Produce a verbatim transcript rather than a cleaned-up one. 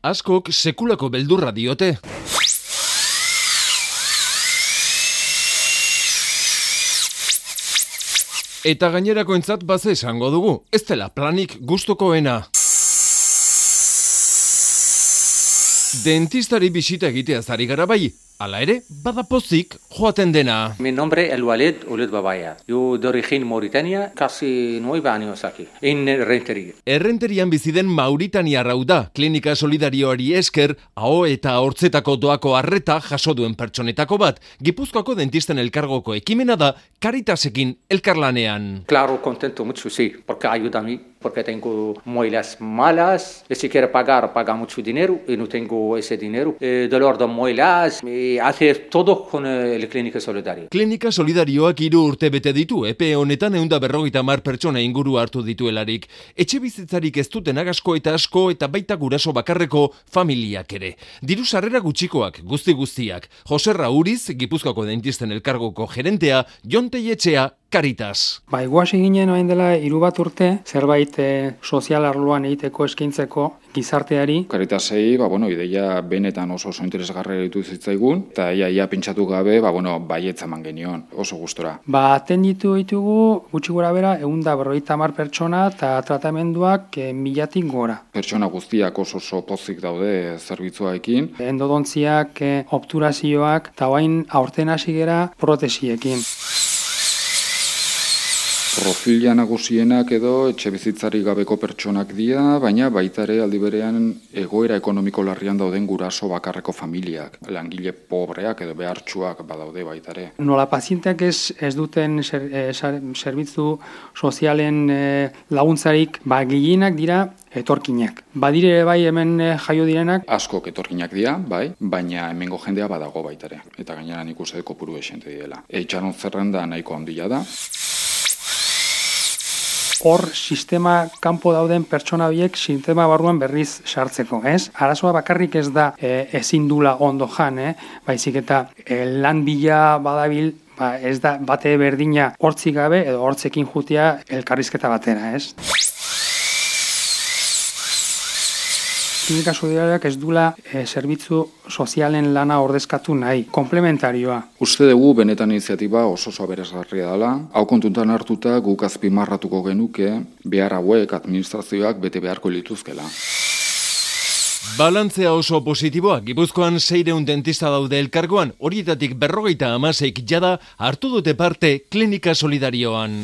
Askok sekulako beldurra diote. Eta gainerakoentzat baze esango dugu, ez dela planik gustukoena. Dentistari bisita egiteaz ari gara bai, hala ere, bada pozik joaten dena. Mi nombre es Walid Ouled Babaya. Yo de origen Mauritania, casi nueve años aquí, en Rentería. Errenterian bizi den Mauritania rau da, klinika solidarioari esker, aho eta hortzetako doako arreta jaso duen pertsonetako bat. Gipuzkoako dentisten elkargoko ekimena da, Caritasekin elkarlanean. Claro, contento mucho, sí, porque ayuda a mí, porque tengo muelas malas, y si quiero pagar, paga mucho dinero, y no tengo ese dinero. Eh, dolor de muelas, y hace todo con el Clínica Solidaria. Klinika Solidarioak hiru urte bete ditu, epe honetan ehun eta berrogeita hamar pertsona inguru hartu dituelarik. Etxe bizitzarik ez dutenak asko eta asko eta baita guraso bakarreko familiak ere. Diru sarrera gutxikoak, guzti guztiak. Jose Rauriz, Gipuzkoako dentisten elkargoko gerentea, Jon Telletxea, Caritas. Ba, iguasi ginen orain dela hiru bat urte, zerbait e, sozial arloan egiteko eskaintzeko gizarteari. Caritasei, ba, bueno, ideia benetan oso oso interesgarria ditu zitzaigun, eta ia, ia pentsatu gabe, ba, bueno, baietza eman genion, oso gustora. Ba, atenditu ditugu, gutxi gora bera, ehun eta berrogeita hamar pertsona eta tratamenduak e, milatik gora. Pertsona guztiak oso oso pozik daude zerbitzuaekin. Endodontziak, e, obturazioak, eta bain aurten hasi gera protesiekin. Profila nagusienak edo etxe bizitzari gabeko pertsonak dira, baina baita ere aldi berean egoera ekonomiko larrian dauden guraso bakarreko familiak, langile pobreak edo behartsuak badaude baita ere. Nola pazienteak ez, ez duten ser, e, zerbitzu sozialen e, laguntzarik, ba gehienak dira etorkinak. Badire bai hemen e, jaio direnak. Askok etorkinak dira, bai, baina hemengo jendea badago baita ere. Eta gainera nik uste kopuru esente direla. Eitxaron zerrenda nahiko handia da. Hor sistema kanpo dauden pertsona horiek sistema barruan berriz sartzeko, ez? Arazoa bakarrik ez da e, ezin dula ondo jan, eh? Baizik eta e, lan bila badabil, ba, ez da bate berdina hortzik gabe edo hortzekin jutia elkarrizketa batera, ez? Klinika Solidariak ez dula e, zerbitzu sozialen lana ordezkatu nahi, komplementarioa. Uste dugu benetan iniziatiba oso oso aberasgarria dela, hau kontutan hartuta guk azpimarratuko genuke behar hauek administrazioak bete beharko lituzkela. Balantzea oso positiboa, Gipuzkoan seiehun dentista daude elkargoan, horietatik berrogeita hamaseik jada hartu dute parte Klinika Solidarioan.